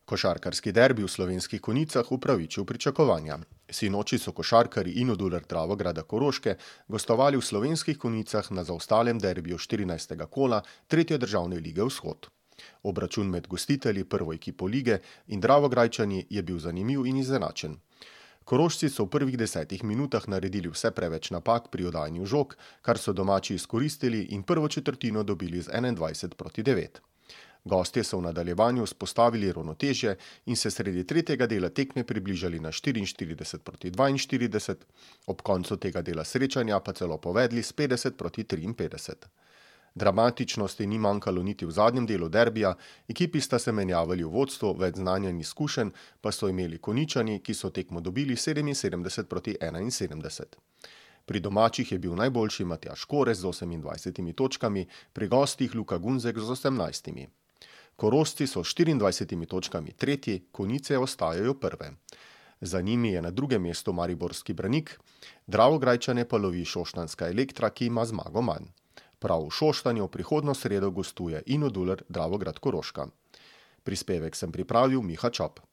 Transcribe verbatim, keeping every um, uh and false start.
Košarkarski derbi v Slovenskih Konjicah upravičil pričakovanja. Sinoči so košarkarji Inodular Dravograda Koroške gostovali v Slovenskih Konjicah na zaostalem derbiju štirinajstega kola tretje državne lige Vzhod. Obračun med gostitelji prvo ekipo lige in Dravograjčani je bil zanimiv in izenačen. Korošci so v prvih desetih minutah naredili vse preveč napak pri oddajanju žog, kar so domači izkoristili in prvo četrtino dobili z enaindvajset proti devet. Gostje so v nadaljevanju vzpostavili ravnotežje in se sredi tretjega dela tekme približali na štiriinštirideset proti dvainštirideset, ob koncu tega dela srečanja pa celo povedli s petdeset proti triinpetdeset. Dramatičnosti ni manjkalo niti v zadnjem delu derbija, ekipi sta se menjavali v vodstvu, več znanja in izkušenj pa so imeli Konjičani, ki so tekmo dobili sedeminsedemdeset proti enainsedemdeset. Pri domačih je bil najboljši Matjaž Korez z osemindvajsetimi točkami, pri gostih Luka Gunzek z osemnajstimi. Korošci so s štiriindvajsetimi točkami tretji, Konjice ostajajo prve. Za njimi je na drugem mestu mariborski Branik, Dravograjčane pa lovi šoštanjska Elektra, ki ima zmago manj. Prav v Šoštanju prihodnjo sredo gostuje Inodular Dravograd Koroška. Prispevek sem pripravil Miha Čop.